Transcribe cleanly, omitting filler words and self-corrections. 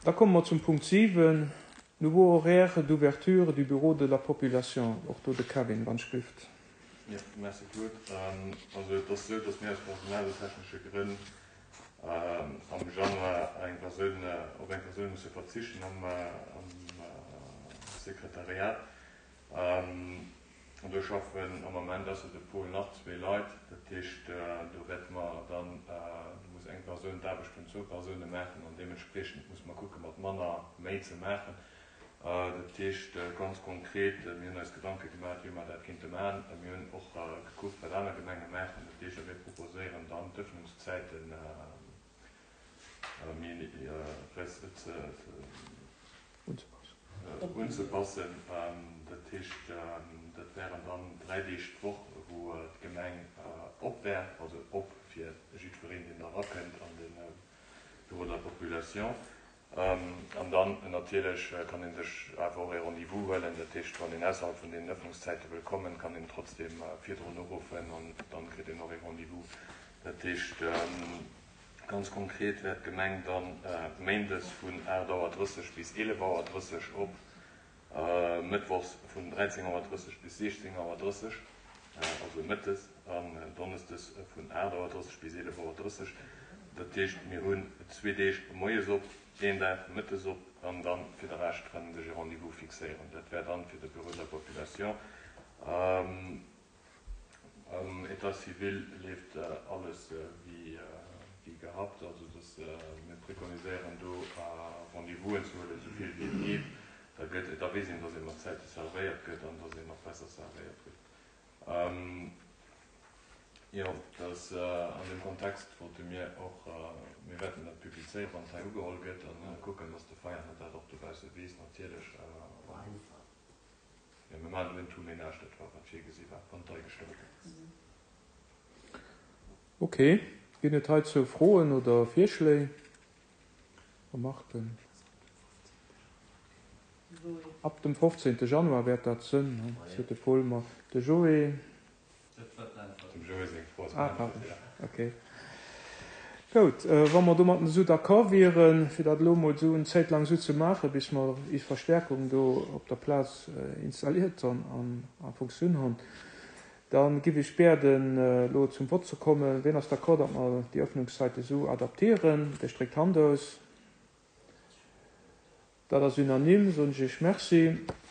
Da komme mer zum Punkt 7, Nouveau horaire d'ouverture du bureau de la population. Och do de Kevin, wann ech gelift. Jo, merci Claude. Also et ass esou, datt mir aus personaltechnesche Grënn am Januar eng Persoun, op eng Persoun musse verzichten am Sekretariat. An do schaffen am Ament ausser de Paul nach zwee Leit. Dat heescht, do wäerte mer dann, do muss eng Persoun d'Aarbecht vun zwou Persoune maachen an deementspriechend musse mer kucke mat manner méi ze maachen. Dat heescht ganz konkret, mir hunn eis Gedanke gemaach, wéi mer dat kéinte maachen. Mir hunn och gekuckt, wat aner Gemenge maachen. Dat heescht, a mir proposéieren dann d'Ëffnungszäiten méi unzepassen. Dat heescht, dat wären dann 3 Deeg d'Woch, wou d'Gemeng op wär, also op fir jiddwereen, deen da erakënnt an de Bureau de la population. An dann natierlech kann ee sech awer och ee Rendez-vous huelen. Dat heescht, wann een ausserhalb vun deenen Ëffnungszäite wëll kommen, kann een trotzdeem virdrun uruffen an dann kritt een och ee Rendez-vous. Dat heescht, Ganz konkret wär d'Gemeng dann méindes vun 8 Auer 30 bis 11 Auer 30 op, mëttwochs vun 13 Auer 30 bis 16 Auer 30, also mëttes, an donneschdes vun 8 Auer 30 bis 11 Auer 30. Dat heescht, mir hunn zwee Deeg moies op, een Dag mëttes op an dann fir de Rescht kann ee sech e Rendez-vous fixéieren. Dat wär dann fir de Bureau de la population. Am État civil leeft alles wéi gehabt. Also dass mir preconiséieren do Rendez-vousen ze huelen, esou vill wéi et geet. Da gëtt, da weess een, dass ee mat Zäite servéiert gëtt an dass een och besser servéiert gëtt. Jo, dass an deem Kontext wollte mir och, mir wäerten dat publizéieren, wann et hei ugeholl gëtt, a kucken, dass de Veianer dat och dobausse weess natierlech. Jo, mir maachen elo en Tout-ménage, dat war wat virgesi war, wann d'Ei gestëmmt gëtt. Ok. Ginn et heizou Froen oder Virschléi, Remarken? Ab dem 15. Januar wäert dat sënn, seet de Paul. Ma de Joé. Dem Joé seng Fro ass Ah, pardon. Ok. Goud, wa mer domatten esou d'accord wieren, fir dat elo emol esou eng Zäit laang esou ze maachen, bis mer is Verstärkung do op der Plaz installiert an a Funktioun hunn, da giff ech biäden, elo zum Vott ze kommen. Wien ass d'accord, datt mer déi Öffnungszeiten esou adaptieren? Dee stréckt d'Hand aus. Dat ass unanime, soen ech Iech Merci.